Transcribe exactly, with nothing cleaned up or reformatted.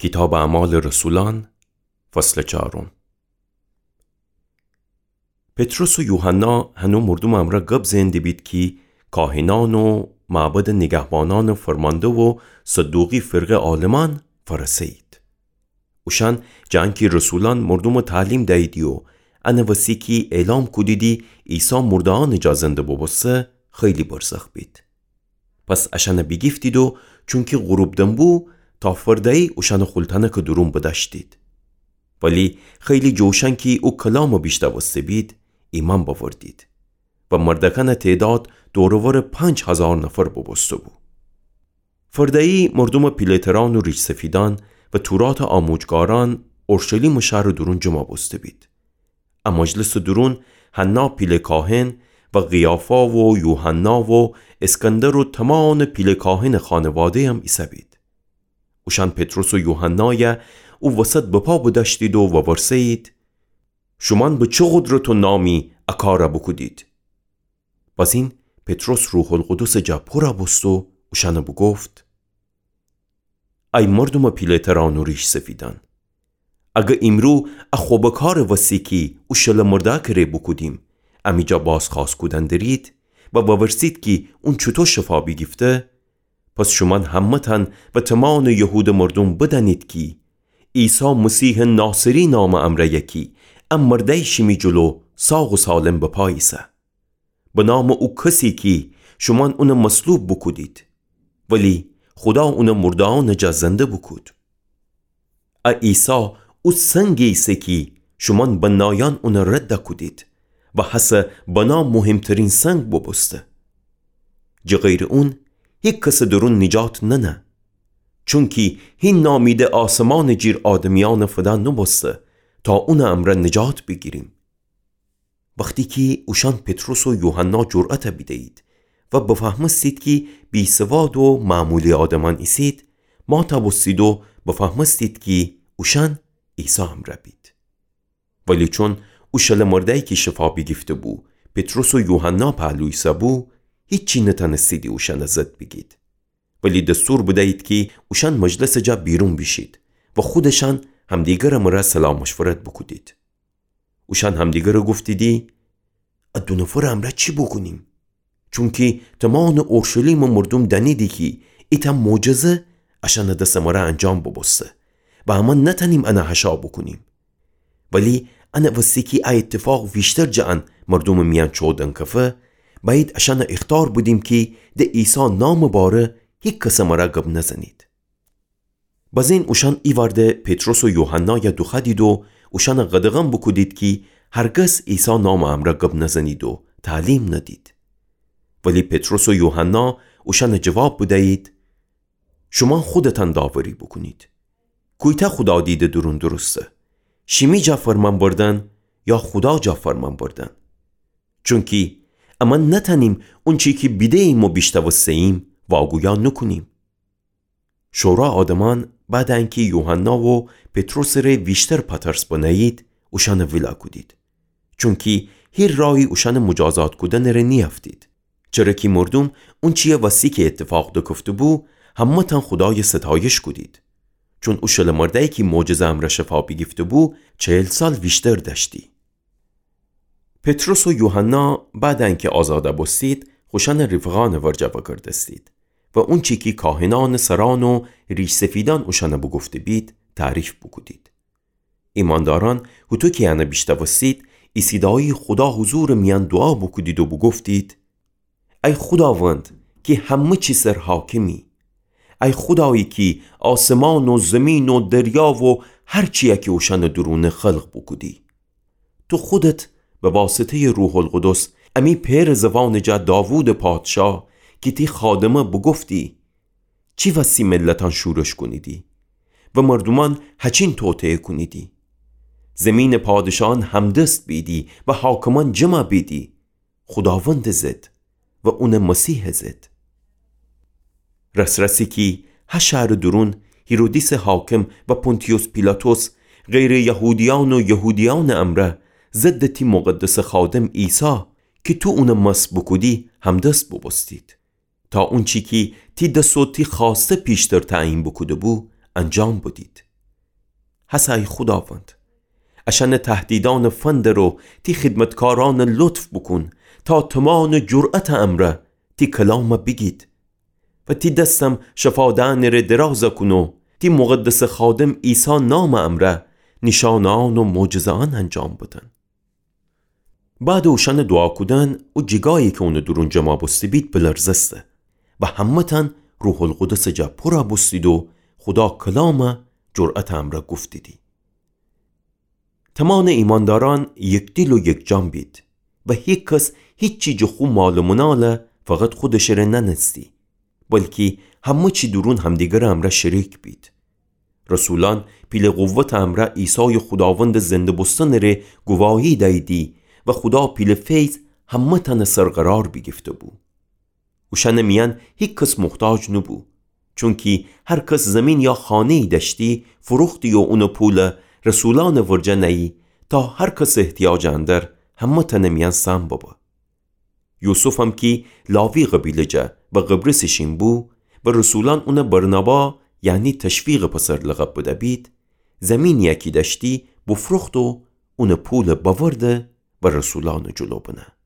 کیتابٚ اعمالٚ رسولأن، فصلٚ چارم. پطرس و یوحنا هنو مردومٚ امرأ گب زئن دیبید کی کاهنأن و معبدٚ نیگهبانأنٚ فرمانده و صدوقی فرقه عالمأن فأرسه‌یید. اوشأن جٚه انکی رسولأن مردومٚ تعلیم دییدی و انٚ وسی کی اعلام کودیدی عیسی مرده‌یأنٚ جا زنده بوبوسته، خیلی برزخ بید. پس اشأنٚ بیگیفتید و چونکی غروب دم بو، تا فرده‌یی اوشأنٚ خولتأنکٚ دورون بدأشتید. ولی خیلی جٚه اوشأن کی او کلامٚ بیشنوسته‌بید، ایمأن بأوردید. و مردأکأنٚ تعداد دور و ورٚ پنج هزار نفر بوبوسته‌بو. فرده‌یی مردومٚ پیله‌ترأن و ریش‌سفیدأن و توراتٚ آموجگارأن اورشلیمٚ شهرٚ دورون جمع بوسته‌بید. ا مجلسٚ دورون حنا پیله کاهن و قیافا و یوحنا و اسکندر و تمامٚ پیله کاهنٚ خانواده‌یم ایسه‌بید. اوشأن پطرس و یوحنای او وسط بپا بدأشتید و وورسه‌یید: شومأن به چه قدرت و نامی ا کار بوکودید؟ بزین پطرس روح‌القدسٚ جا پورَ بوست و اوشأنَ بوگفت: ای مردومٚ پیله‌ترأن و ریش‌سفیدأن، اگر ایمرو ا خبٚ کارٚ وسی کی او شلٚ مردأکٚ ره بوکودیم، امی جا بازخوأست کودن درید و وورسید کی اون چوطو شفا بیگیفته، پس شومأن همه‌تأن و تمامٚ یهودٚ مردوم بدأنید کی عیسی مسیحٚ ناصری نامٚ امرأ یکی ا مردأی شیمی جلو ساق و سالم بپا ایسه. به نامٚ او کسی کی شومأن اونَ مصلوب بوکودید، ولی خودا اونَ مرده‌یأنٚ جا زنده بوکود. ا عیسی او سنگی ایسه کی شومأن بنایأن اونَ رد کودید و هسه بنا مهمترین سنگ بوبوسته. جٚه غیرٚ اون هیکسٚ دورون نجات ننه. چونکی هی نامی ده آسمانٚ جیر آدمیأنٚ فدا نوبوسته تا اونٚ امرأ نجات بیگیریم. وختی کی اوشأن پطرس و یوحنا جرأتَ بیده‌یید و بفهمستید کی بی‌سواد و معمولی آدمأن ایسید، ماتَ بوستید و بفهمستید کی اوشأن عیسی امرأ بید. ولی چون او شلٚ مردأیی کی شفا بیگیفته‌بو پطرس و یوحنا پهلو ایسه‌بو، هیچی نتأنستیدی اوشأنٚ ضد بیگید. ولی دستور بدیید کی اوشأن مجلسٚ جا بیرون بیشید و خودشأن همدیگرٚ مرأ صلاح مشورت بوکودید. اوشأن همدیگرَ گفتیدی: ا دو نفرٚ امرأ چی بوکونیم؟ چونکی تمامٚ اورشلیمٚ مردوم دأنیدی کی ایتأ معجزه اشأنٚ دسٚ مرأ انجام بوبوسته و امأن نتأنیم انَ حشا بوکونیم. ولی انٚ وستی کی ا ایتفاق ویشتر جٚه ان مردومٚ میأن چؤ دنکفه، بأیید اشأنَ ایخطار بدیم کی ده عیسی نامٚ باره هیکسٚ مرأ گب نزنید. بزین اوشأن ایوأرده پطرس و یوحنایَ دوخوأدید و اوشأنَ قدغن بوکودید کی هرگز عیسی نامٚ امرأ گب نزنید و تعلیم ندید. ولی پطرس و یوحنا اوشأنَ جواب بدیید: شومأن خودتأن داوری بوکونید. کویتأ خودادیدٚ دورون درسته؟ شیمی جا فرمأن بردن یا خودا جا فرمأن بردن؟ چونکی امأن نتأنیم اونچی کی بیده‌ییم و بیشنوسته‌ییم واگویا نوکونیم. شورا آدمأن بعدٚ انکی یوحنا و پطرسٚ ره ویشتر پاترس بنه‌یید، اوشأنَ ویلا کودید. چونکی هیر رایی اوشأنٚ مجازات کودنٚ ره نیأفتید. چره کی مردوم اونچییٚ وستی کی ایتفاق دکفته‌بو، همه‌تأن خودایَ ستایش کودید. چون او شلٚ مردأیی کی معجزه امرأ شفا بیگیفته‌بو، چهل سال ویشتر دأشتی. پطرس و یوحنا بعدٚ انکی آزادَ بوستید، خوشأنٚ رفقأنٚ ورجه وأگردستید و اونچی کی کاهنأنٚ سرأن و ریش‌سفیدأن اوشأنَ بوگفته‌بید، تعریف بوکودید. ایمأندارأن هوطو کی انَ بیشنوستید، ایسیدایی خودا حضورٚ میأن دوعا بوکودید و بوگفتید: ای خوداوند کی همه چی سر حاکمی، ای خودایی کی آسمان و زمین و دریا و هر چیی کی اوشأنٚ دورونه خلق بوکودی، تو خودت به واسطه‌یٚ روح‌القدس امی پئرٚ زوانٚ جا داوودٚ پادشا کی تی خادمه بوگفتی: چی وستی ملتأن شورش کونیدی و مردومأن هچین توطئه کونیدی؟ زمینٚ پادشاهأن همدست بیدی و حاکمأن جمع بیدی خوداوندٚ ضد و اونٚ مسیحٚ ضد. رس‌رسی کی ها شهرٚ دورون هیرودیسٚ حاکم و پونتیوس پیلاطس غیرٚ یهودیأن و یهودیأنٚ امرأ ضدٚ تی مقدسٚ خادم عیسی کی تو اونَ مسح بوکودی، همدست بوبوستید، تا اونچی کی تی دس و تی خوأسته پیشتر تعیین بوکوده‌بو، انجام بدید. هسه ای خوداوند، اشأنٚ تهدیدأنٚ فندر و تی خدمتکارأن لطف بوکون تا تومانٚ جرأتٚ امرأ تی کلام بیگید و تی دستم شفادأنٚ ره دراز کون و تی مقدسٚ خادم عیسی نامٚ امرأ نیشأنهأن و معجزهأن انجام بدن. بعدٚ اوشأنٚ دوعا کودن، او جیگایی کی اونٚ دورون جمع بوسته‌بید بلرزسته و همه‌تأن روح‌القدسٚ جا پورَ بوستید و خودا کلام جرأتٚ امرأ گفتیدی. تومانٚ ایماندارأن یکدیل و یکجان بید و هیکس هیچی جٚه خو مال و منال فقط خودشٚ ره نأنستی، بلکی همه چی دورون همدیگرٚ امرأ شریک بید. رسولأن پیلٚ قوتٚ امرأ عیسایٚ خوداوندٚ زنده بوستنٚ ره گواهی دییدی و خودا پیلٚ فیض همه‌تأنٚ سر قرار بیگیفته‌بو. اوشأنٚ میأن هیکس محتاج نوبو، چونکی هر کس زیمین یا خانه‌یی دأشتی، فروختی و اونٚ پول رسولأنٚ ورجه نیی، تا هر کسٚ احتیاجٚ اندر همه‌تأنٚ میأن سهم ببه. یوسفم کی لاوی قبیله جا و قبرسٚ شین بو و رسولأن اونَ برنابا، یعنی تشویقٚ پسر لقب بده‌بید، زیمینیی کی دأشتی بفروخت و اونٚ پول بأورده و رسولأنٚ جلو بنه.